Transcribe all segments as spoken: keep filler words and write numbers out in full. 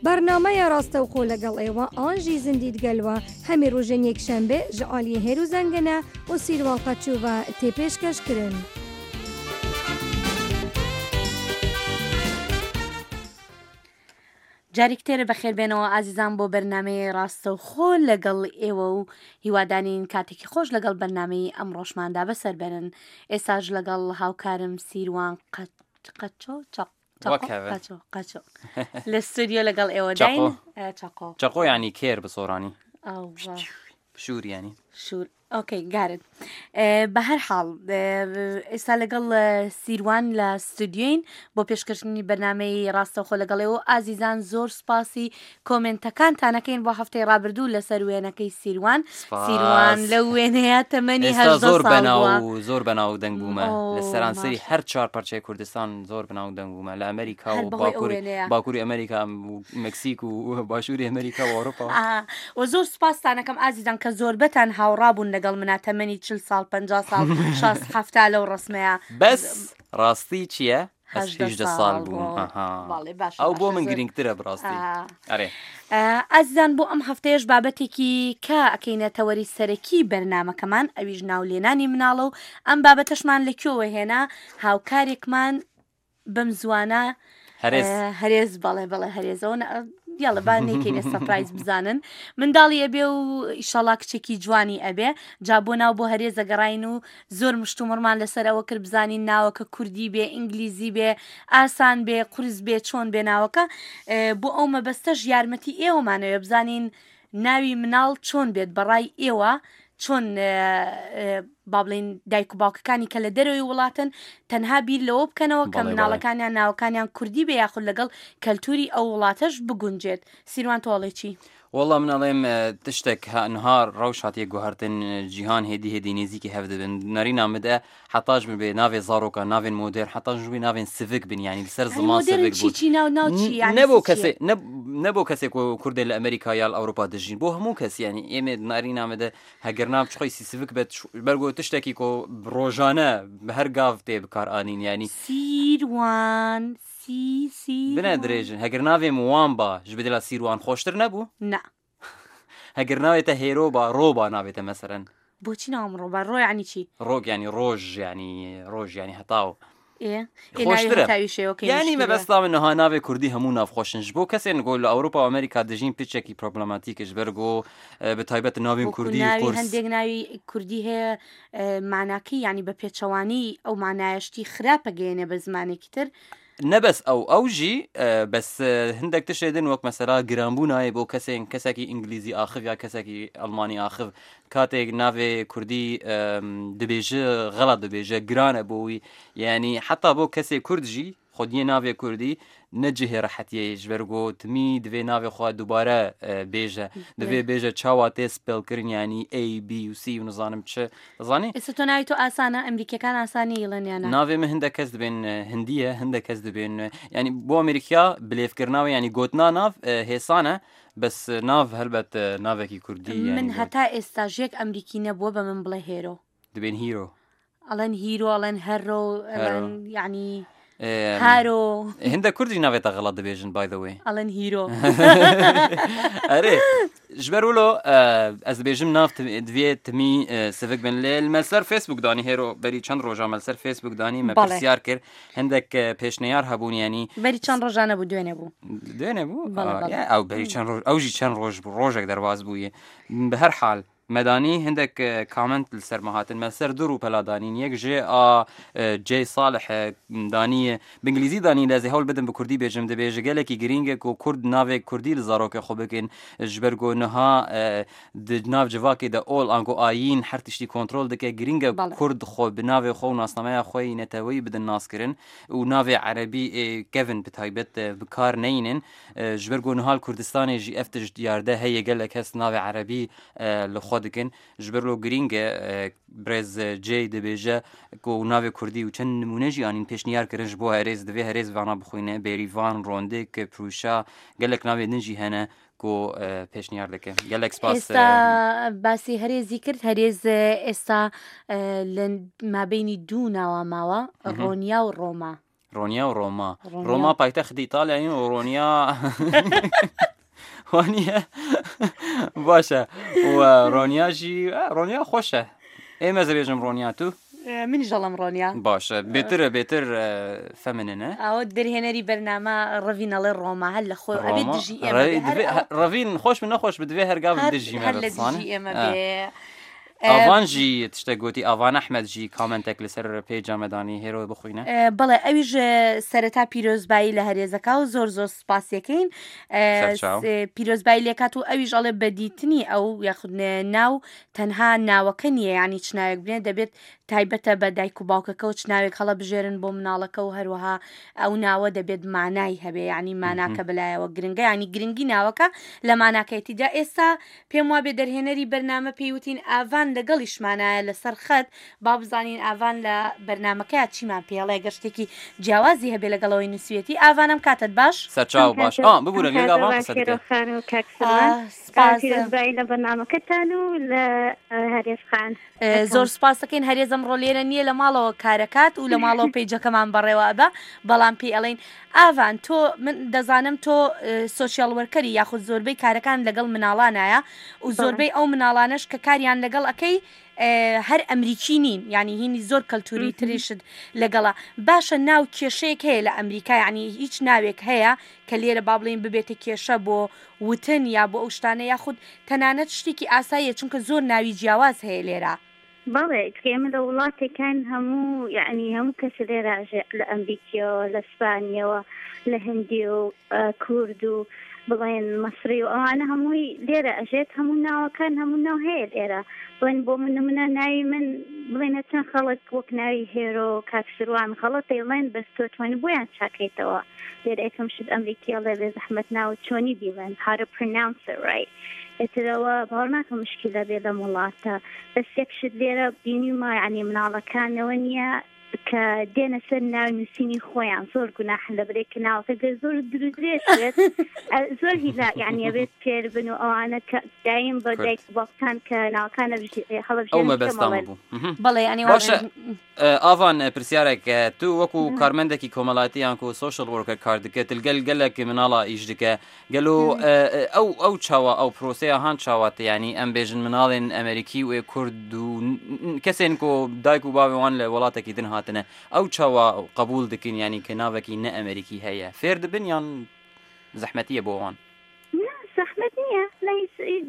بەرنامەیە ڕاستەوخۆ لەگەڵ ئێوە ئانژی زیندیت گەلوە هەمی ڕۆژên یەکشەنبێ ji aliyê Hêro Zengene û Sîrwan Qeçû ve tê pêşkeşkirin. جارێکترە بەخێربێنەوە ئازیزان بۆ بەرنمەی ڕاستەوخۆ لەگەڵ ئێوە و هیوادانین کاتێکی خۆش لەگەڵ بەرنمەی ئەمڕۆشماندا بەسەر بەرن. ئێستاش لەگەڵ هاوکارم سیروان قەچۆ چەق قەچۆ قەچۆ لە ستۆدیۆ لەگەڵ ئێوە داین. چەقۆ چەقۆ ینی کێر بە سۆرانی شوور ینی شوور. okay got it. بە هەر حاڵ ئێستا لەگەڵ سیروان لە ستودیۆین بۆ پێشکەشکردنی بەرنمەی ڕاستەوخۆ لەگەڵێەوە. ئازیزان زۆر سپاسی کۆمنتەکانتانەکەین بۆ هەفتەی ڕابردوو لەسەر وێنەکەی سیروان. سیروان لەو وێنەیە تەمەنی زۆر بەناو زۆر بەناو دەنگ بوومە لە سەرانسەری هەر چوار پارچەی کوردستان زۆر بەناو دەنگ بوومە لە ئەمریکا و باکووری ئەمریکا و مەکسیک و باشووری ئەمریکا و ئەوروپا. و زۆر سپاستانەکەم ئازیزان کە زۆربەتان هاوڕابوون لەگەڵ منا تەمەنی چل ساڵ پەنجا ساڵ شەست حەفتا لەو ڕسمەیە. بەس ڕاستی چییە؟ هەژدە ساڵ بووم. ئەو بۆ من گرنگترە بڕاستی. ئەرێ ئازیزان بۆ ئەم هەفتەیەش بابەتێکی کە ئەکەینە تەوەری سەرەکی بەرنامەکەمان ئەویش ناولێنانی مناڵە و ئەم بابەتەشمان لەکوێوە هێنا هاوکارێکمان بەم زوانە هەرێز هەرێز بەڵێ بەڵێ هەرێزەوە یاڵە با نەیکەینە surprise بزانن منداڵی ئەبێ و ئیشەڵا کچێکی جوانی ئەبێ جا بۆ ناو بۆ هەرێزە گەڕاین و زۆر مشتومڕمان لەسەر ئەوە کرد بزانین ناوەکە کوردی بێ ئینگلیزی بێ ئاسان بێ قورس بێ چۆن بێ ناوەکە. بۆ ئەو مەبەستەش یارمەتی ئێوەمانەوێ بزانین ناوی مناڵ چۆن بێت بەڕای ئێوە چۆن با بڵێین دایک و باوکەکانی کە لە دەرەوەی وڵاتن تەنها بیر لەوە بکەنەوە کە مناڵەکانیان ناوەکانیان کوردی بێ یاخود لەگەڵ کەلتوری ئەو وڵاتەش بگونجێت. سیروان تۆڵێ چی؟ والله من ئەڵێم تشتێک نهار ڕەوش هاتیە گوهرتن جیهان هێدی هێدی نزیکی هەv دبن نەرینا مدە حتاش بێ ناوێ زارۆکە ناوێن مۆدێرن حتاش بێ ناوێن سڤک بن یعنی لەسەر زمان سڤک بوو. نەبوو کەسێ نەبوو کەسێک کوردێ لە ئەمریکا یا لە ئەوروپا دەژین بۆ هەموو کەس یعنی ئێمە نەرینا مدە هەگەر ناو چخۆی سڤک بێت بەرگۆ تشتێکی کۆ ڕۆژانە بە هەر گاو تێ بکارئانین یعنی سیروان سی سی بنە درێژن هەگەر ناوێم وان با ji بدلا سیروان خۆشتر نەبوو؟ نا. هەگەر ناوێتە هێرۆ با ڕۆ با ناوێتە مەسەرەن. بۆچی ناوم ڕۆ با؟ ڕۆ یعنی چی؟ ڕۆ یعنی ڕۆژ یعنی ڕۆژ یعنی هەتاو. خۆشترە. یعنی مەبەستا من نها ناوێ کوردی هەموو ناوخۆشن ji بۆ کەسێن گۆ لە ئەوروپا و ئەمریکا دەژین پچێکی پرۆبلەماتیکش بەرگۆ بە تایبەت ناوێن کوردی قورس. هەندێک ناوی کوردی هەیە معناکەی یعنی بە پێچەوانی ئەو معنایەشتی خراپە گەیەنێ بە زمانێکی تر. نەبەس ئەو ئەو ژی بەس هەندێک تشێ دن وەک مەسەلا گرانبوو نایە بۆ کەسێن کەسێکی ئینگلیزی ئاخف یا کەسێکی ئەڵمانی ئاخف کاتێک ناوێ کوردی دەبێژە غەڵەت دەبێژە گرانە بۆی یعنی حتا بۆ کەسێک کورد ژی خودیە ناوێ کوردی نەجهێ ڕەحەتیە ji ber got timî divê navê xwe دووبارە bêje divê bêje çawa tê spellkirin yanî A B و C و nizanim çi dizanî. ئێستا تۆ ناوی تۆ ئاسانە ئەمریکیەکان ئاسانی ئیڵێن یان نا؟ ناوێ من هەندێک کەس دەبێن هندیە هەندێک کەس دەبێن یعنی بۆ ئەمریکا بلێفکردناوە یعنی گۆتنا ناو هێسانە بەس ناو هەلبەت ناوێکی کوردی من هەتا ئێستا ژێک ئەمریکی نەبووە بە من بڵێ هێرۆ. دەبێن هیرۆ. ئەڵێن هیرۆ ئەڵێن هەرۆ ئەڵێن یعنی هارۆ. هەندێک کوردی ناوێتە غەڵەت دەبێژن by the way. ئەڵێن هیرۆ. ئەرێ ji ber wilo ez dibêjim nav divê timî sivik bin lê me li ser Facebook danî hêro berî çend roja me li ser Facebook danî me pirsyar kir hindek pêşneyar hebûn yanî berî çend roja nebû دوێنێ بوو دوێنێ بوو ئەو berî çend roj ew jî çend roj bû rojek derbas bûye bi her hal مدانی هندک کامنت لەسەر مەهاتن مە سەر دوو ڕووپەلا دانین یەک ژێ ئا جێ ساڵح دانیە بە ئینگلیزی دانی لە هەوڵ بدەم بە کوردی بێژم دەبێژە gelekî girîng ku Kurd navê Kurdî li zarokê xwe bikin ji ber ku niha di nav civakê de ol ango ayîn her tiştî kontrol dike girîng e Kurd xwe bi navê xwe û nasnameya xwe yê neteweyî bidin naskirin û navê erebî kevin bi taybet bi kar neynin ji ber ku niha li Kurdistanê jî ev tişt diyarde heye gelek kes navê erebî li xwe dikin ji ber lo girîng e brêz cê dibêje ku navê Kurdî û çend nimûne jî anîn pêşniyar kirin ji bo herêz divê herêz vana bixwîne Bêrîvan Rondik Prûşa gelek navê din jî hene ku pêşniyar dike gelek spas. ئێستا باسی هەرێزی کرد هەرێز ئێستا لە مابینی دوو ناوە ماوە ڕۆنیا و ڕۆما. ڕۆنیا و ڕۆما. ڕۆما پایتەختی ئیتالیایە و ڕۆنیا وانییە؟ باشە و ڕۆنیا ژی ڕۆنیا خۆشە. ئێمە زەبێژم ڕۆنیا تو؟ منیش دەڵێم ڕۆنیا. باشە بێترە بێتر فەمننە؟ ئەوە دەرهێنەری بەرنامە ڕەڤین ئەڵێ ڕۆما هەر لە خۆ ئەبێت دژی ئێمە ڕەڤین خۆش من نەخۆش بدوێ هەرگاو دژی هەر لە دژی ئێمە بێ. ئاڤان ژی تشتێک گوتی ئاڤان ئەحمەد ژی کامنتێک لەسەر page مەدانی هێرۆ بخوینە. بەڵێ ئەویش سەرەتا پیرۆزبایی لە هەرێزەکە و زۆر زۆر سپاسیەکەین پیرۆزبایی لێکات و ئەویش ئەڵێ بەدیتنی ئەو یاخود ناو تەنها ناوەکە نییە، ینی چ ناوێک بنێ دەبێت تایبەتە بە دایک و باوکەکە و چ ناوێک هەڵە بژێرن بۆ مناڵەکە و هەروەها ئەو ناوە دەبێت مانای هەبێ، ینی ماناکە بەلایەوە گرنگە، ینی گرنگی ناوەکە لە ماناکەیتیدا. ئێستا پێم وا بێ دەرهێنەری بەرنامە پێیوتین ئاڤان لەگەڵیشمانایە لەسەر خەت، با بزانین ئاڤان لە بەرنامەکەیا چیمان پێڵێ گەر شتێکی جیاوازی هەبێ لەگەڵەوەی نووسوێتی. ئاڤانم کاتت باش؟ سەرچاو باش. ئا ببورە لێگا ئاڤان قسە دەکەی. پیرۆزبایی لە بەرنامەکەتان و لە هەرێز خان. زۆر سپاس دەکەین. هەرێز ئەمڕۆ لێرە نییە، لە ماڵەوە کارەکات و لە ماڵەوە page ەکەمان بەڕێوە ئەبا، بەڵام پێی ئەڵێین ئاڤان تۆ من دەزانم تۆ social worker ی یاخود زۆربەی کارەکان لەگەڵ مناڵانایە و زۆربەی ئەو مناڵانەش کە کاریان لەگەڵ ئەەکەی هەر ئەمریکی نین، یعنی هینی زۆر کەلتوری تریشت لەگەڵا. باشە ناو کێشەیەک هەیە لە ئەمریکا، یعنی هیچ ناوێک هەیە کە لێرە با بڵێین ببێتە کێشە بۆ وتن یا بۆ ئەو شتانە، یاخود تەنانەت شتێکی ئاساییە چونکە زۆر ناوی جیاواز هەیە لێرە؟ بەڵێ ئێمە لە وڵاتێکان هەموو یعنی هەموو کەس لێرە لە ئەمریکیەوە لە ئیسپانیەوە لە هندی و کورد و بڵێن مەسری و ئەوانە هەمووی لێرە ئەژێت، هەموو ناوەکان هەموو ناو هەیە لێرە. بڵێن بۆ من نمونە ناوی من بڵێنە چەند خەڵک وەک ناوی هێرۆ کاک سروان خەڵەت ئەیڵێن، بەس تۆ توانی بۆیان چاکەیتەوە. لێرە یەکەم شت ئەمریکی ئەڵێ بێ زەحمەت ناو چۆنی بیڵێن how to pronounce it right. ئێترەوە باوەڕ ناکەم مشکلە بێ لەم وڵاتە. بەس یەک شت لێرە بینیومە یعنی مناڵەکانەوە نییە کە دێنە سەر ناوی نووسینی خۆیان زۆر گوناحن لە برێک کە ناوەکە گەر زۆر درودرێژ بێت زۆر هیلا یعنی ئەبێت فێر بن و ئەوانە کە دایم بە دایک باوکان کە ناوەکانە هەڵەبژێرن ئەو مەبەستان بوو. بەڵێ یعنی باشە ئاڤان پرسیارێک، تو وەکو کارمەندێکی کۆمەڵایەتی یان کو social worker کار دکە تلگەل گەلێک مناڵا ئیش دکە، گەلو ئەو ئەو چاوە ئەو پرۆسەیە هان چاواتە، یعنی ئەم بێژن مناڵێن ئەمریکی و کورد و کەسێن کو دایک و باوێوان لە وڵاتێکی دن هاتنە ئەو چاوە قبول دکن، یعنی کە ناوێکی نە ئەمریکی هەیە فێر دبن یان زەحمەتیە بۆ وان؟ زەحمەت نییە،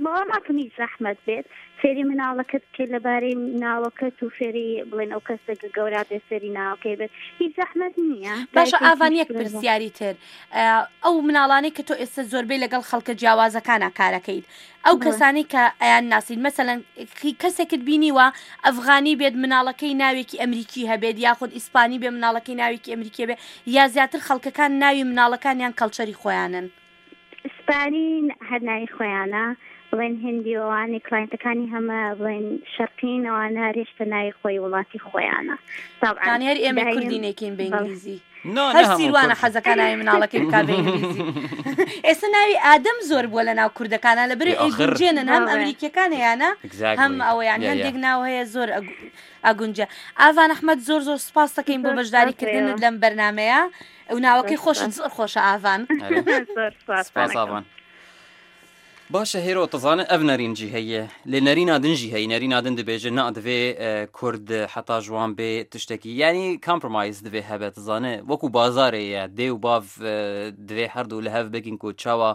باوەڕ ناکەم هیچ زەحمەت بێت. فێری مناڵەکەت بکەیت لەبارەی ناوەکەت و فێری بڵێن ئەو کەسێک گەورە بێت فێری ناوەکەی بێت، هیچ زەحمەت نییە. باشە ئاڤان یەک پرسیاری تر، ئەو مناڵانەی کە تۆ ئێستا زۆربەی لەگەڵ خەڵکە جیاوازەکانە کارەکەیت، ئەو کەسانەی کە ئەیان ناسیت، مەسەلەن کەسێکت بینیوە ئەفغانی بێت مناڵەکەی ناوێکی ئەمریکی هەبێت، یاخود ئیسپانی بێ مناڵەکەی ناوێکی ئەمریکی بێت، یا زیاتر خەڵکەکان ناوی مناڵەکانیان culture ی خۆیانن؟ ئیسپانی هەر ناوی خۆیانە، بڵێن هندی ئەوانەی client ەکانی هەمە بڵێن شەرقین ئەوانە هەرێشتە ناوی خۆی وڵاتی خۆیانە. یعنی هەر ئێمە کوردی نەکەین بە ئینگلیزی، هەر سیروانە حەزەکە ناوی مناڵەکەی بکا بە ئینگلیزی. ئێستا ناوی ئادەم زۆر بووە لە ناو کوردەکانە، لەبەر ئەیگونجێنن هەم ئەمریکیەکان هەیانە هەم ئەوە، یعنی هەندێک ناو هەیە زۆر ئەگونجە. ئاڤان ئەحمەد زۆر زۆر سپاس دەکەین بۆ بەشداریکردنت لەم بەرنامەیە و ناوەکەی خۆشت زۆر خۆشە ئاڤان. سپاس ئاڤان. باشە هێرۆ تەزانە ئەv نەرینجی هەیە لێ نەرینا دنجی هەیە، نەرینا دن دەبێژە نا دەبێ کورد حتا ژوان بێ تشتێکی یعنی compromise دەبێ هەبێت، تەزانە وەکو بازارەیە دێ و باv دەبێ هەردوو لە هەv بکین کو چاوە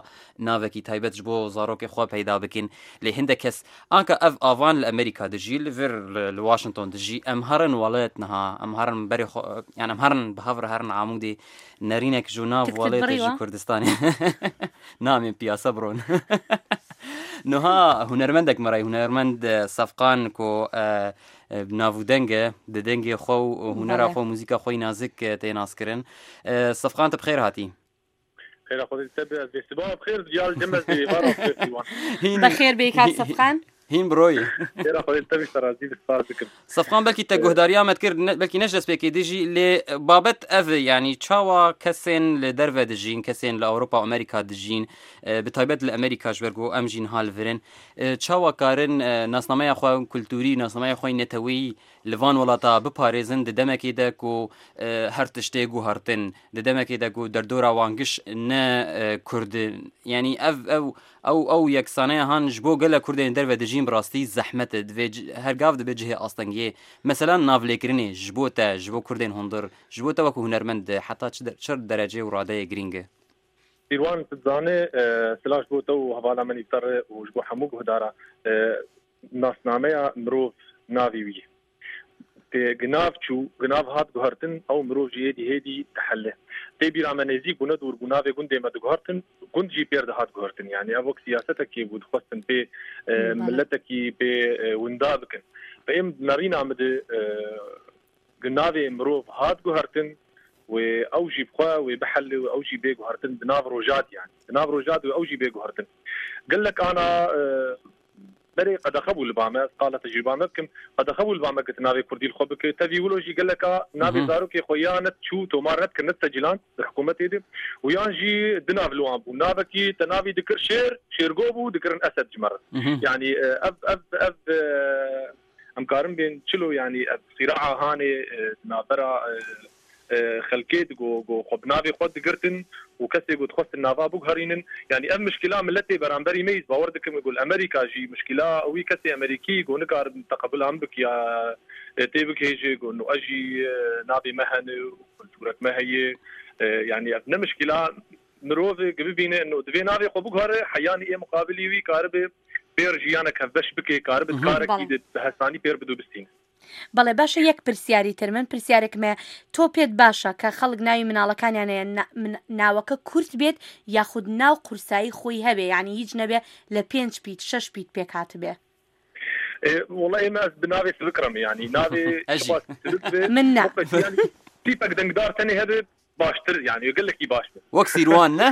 ناوێکی تایبەت بۆ زارۆکی خوا پەیدا بکین. لێ هەندێک کەس ئانکە ئەv ئاوان لە ئەمریکا دەژی، لەڤر لە واشنگتۆن دەژی، ئەم هەرن وڵێت نها ئەم هەرن بەری خۆ یان ئەم هەرن بە هەڤر هەرن عامودی نەرینێک ژوو ناو وڵێت ژی کوردستانی نامێن پیاسە بڕۆن. نها هونەرمەندێک مەرای هونەرمەند سەفقان کۆ ناوودەنگە دەنگێ خۆ و هونەرا خۆ موزیکا خۆی نازک تێناسکردن. سەفقان تە بخێر هاتی. بەخێر بێی کاک سەفقان. هین بڕۆی سەفقان بەلکی تە گۆهداریامەت کرد بەلکی نەش دەست پێکی دژی لێ بابەت ئەv یعنی چاوە کەسێن لە دەرڤە دژین، کەسێن لە ئەوروپا و ئەمریکا دژین، بەتایبەت لە ئەمریکاش بەرگۆ ئەم ژین هالڤرن، چاوە کارن ناسنامەیە خۆ کولتوری ناسنامەیە خۆی نەتەوەیی li van welata biparêzin di demekê de ku her tiştê guhertin di demekê de ku derdora wan giş ne Kurd yanî ev ew ew ew yeksaneya han ji bo gelek Kurdên derve dijîn bi rastî zehmet e divê her gav dibe cihê astengiyê mesela navlêkirinê ji bo te ji bo Kurdên hundir ji bo te wekû hunermend heta çi çi derecê û radeyê girîng e Sîrwan tu dizanê silav ji bo te û hevala min îfter û ji bo hemû guhdara nasnameya mirov navê wî ye. Ginav çû, ginav hat guhertin, ew mirov jî êdî hêdî dihele. Tê bîra me nêzîk bû ne dûr bû navê gundê me diguhertin, gund jî pêr dihat guhertin. Yani ev wek siyasetekê bû dixwestin pê miletekî pê winda bikin. Êm nerîna min de navê mirov hat guhertin wê ew jî bixwe wê bihele wê ew jî bê guhertin di nav rojat yani. Di nav rojat wê ew jî bê guhertin. Gelek ana berê qedexe bû li ba me, qala tecrüba me bikim, qedexe bû li ba me ku tu navê Kurdî li xwe bike. Tevî wilo jî geleka navê zarokê xwe ya net çû tomar net kir net secilan di hikûmetê de û yan jî di nav li wan bû. Navekî te navî dikir şêr, şêrgo bû dikirin Esed ji me re. Yani ev ev ev em karin bên çilo yani ev sîraa hanê di navbera xelkê go go xwe bi navê xwe digirtin û kesê ku dixwestin nava biguherînin yani ev mişkila miletê beramberî me bawer dikim ku li Amerîka jî mişkila wî kesê Amerîkî ku nikarin teqebula min bike ya tê bigihêje ku no ez jî navê me hene û kulturek me heye yani ev ne mişkila mirovê bibîne no divê navê xwe biguhere heyanî ê muqabilî wî karibe pêr jiyanek hevbeş bike karibe karekî bi hesanî pêr bidû bistîne. بەڵێ باشە یەک پرسیاری تر من پرسیارێکم هەیە تۆ پێت باشە کە خەڵک ناوی مناڵەکانیان هەیە ناوەکە کورت بێت یاخود ناو قورسایی خۆی هەبێ یعنی هیچ نەبێ لە پێنج پیت شەش پیت پێک هاتبێ؟ والله ئێمە ئەس بە ناوێ سبکرم یعنی ناوێ من نا تیپەک دەنگدار تەنێ هەبێ باشتر یعنی گەلێکی باش بێ وەک سیروان نە؟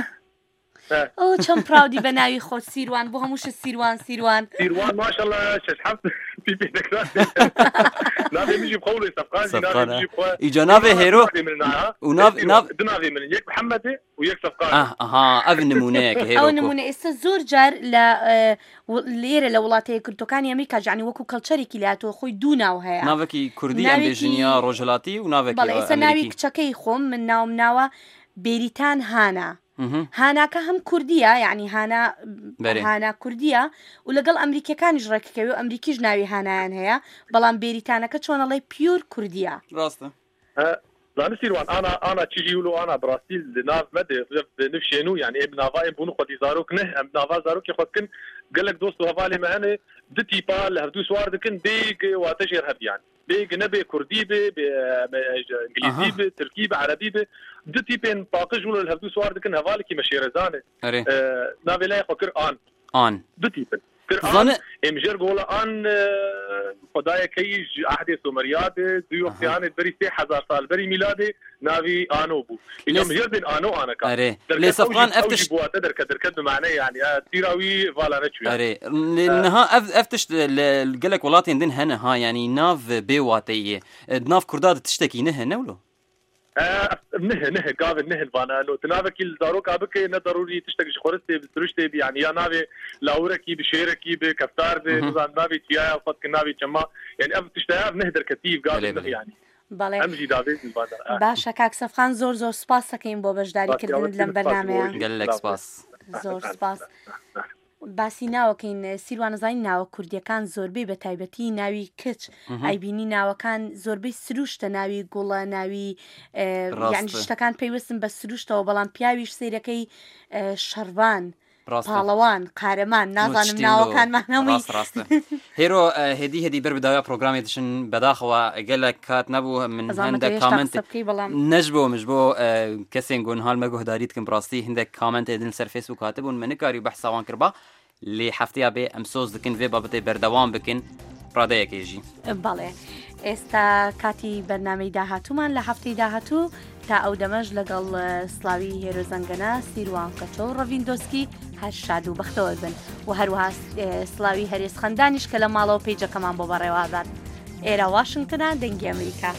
ئەو چەند proud ی بە ناوی خۆت سیروان بۆ هەمووشت سیروان سیروان سیروان ماشەڵڵا شەش حەفت پیپێ دەکرا ناوێ مژی بخەوڵێ سەفقان جی ناوێ مژی بخوا ئیجا ناوێ هێرۆ و ناو ناو دو ناوێ من یەک محەممەدێ و یەک سەفقان ئەها ئەv نمونەیەکە هێرۆ ئەو نمونە ئێستا زۆر جار لە لێرە لە وڵاتە یەکگرتووەکانی ئەمریکا جانی وەکو culture ێکی لاتەوە خۆی دوو ناو هەیە ناوێکی کوردی ئەم بێژنیا ڕۆژهەڵاتی و ناوێکی بەڵێ ئێستا ناوی کچەکەی خۆم من ناوم ناوە بێریتان هانا هاناکە هەم کوردیە یعنی هانا هانا کوردیە و لەگەڵ ئەمریکیەکانیش ڕێککەوێ و ئەمریکیش ناوی هانایان هەیە بەڵام بێریتانەکە چۆنەڵێ pure کوردیە ڕاستە زانستی سیروان ئانا ئانا چیژی ولو ئانا بڕاستی ناو مەدێ نفشێن و یعنی ئێم ناوا ئێم بوون خۆدی زارۆک نه ئەم ناوا زارۆکی خۆ بکەن gelek dost û hevalê me hene du tîpa li hevdû swar dikin bê wate jêr hebiyan bê nebe Kurdî be İngilîzî be Tirkî be Erebî be du tîpên paqij û li hevdû swar dikin hevalekî me şêrezan e navê lê xwe kir an an du tîpin kir an em jêr gola an xwedayekî ji ahdê Someriyadê du wextiyanê berî sê hezar sal berî mîladê navî ano bû îca min jêr bên ano aneka erê lê Sefqan ev tişt bû derket derket bi mane yani tîra wî vala neçûye erê niha ev ev tişt li gelek welatên din hene ha yani nav bê wateyê di nav Kurda de tiştekî ne hene wilo نه نه قابل نه الفانا لو تنافكي الزاروك بك نه ضروري تشتك خورستي بسرشتي يعني يا نافي لاوركي بشيركي بكفتار بنظام نافي تيا صدق نافي جما يعني اف تشتاف نهدر كتيف قابل نه يعني بەڵێ ئەمجی داوێت باشە کاک سەفخان زۆر زۆر سپاس دەکەین بۆ بەشداریکردنت لەم بەرنامەیە gelek سپاس زۆر سپاس باسی ناوەکەین سیروانەزانی ناوە کوردیەکان زۆربەی بە تایبەتی ناوی کچ ئەیبینی ناوەکان زۆربەی سروشتە ناوی گوڵە ناوی یعنی شتەکان پەیوەستن بە سروشتەوە بەڵام پیاویش سەیرەکەی شەڕڤان پاڵەوان قارەمان نازانم ناوەکانمان هەمووی ڕاستە هێرۆ هێدی هێدی بەر بداوە پرۆگرامی دشن بەداخەوە gelek کات نەبوو من هەندێک comment نەش بۆ مش بۆ کەسێن گۆنهال مە گۆهداری دکم بڕاستی هەندێک comment دن سەر فەیسبوک هاتبوون من نکاری بەحساوان کردبا لێ هەفتەیە بێ ئەم سۆز دکن vê بابەتێ بەردەوام بکن ڕادەیەکێژی بەڵێ ئێستا کاتی بەرنامەی داهاتوومان لە هەفتەی داهاتوو تا ئەو دەمەش لەگەڵ سلاوی هێرۆ زەنگەنە سیروان قەچۆ و ڕەڤین دۆسکی هەر شاد و بەختەوەر بن و هەروەها سلاوی هەرێز خەندانیش کە لە ماڵەوە پەیجەکەمان بۆ بەڕێوابات. ئێرە واشنگتنە، دەنگی ئەمریکا.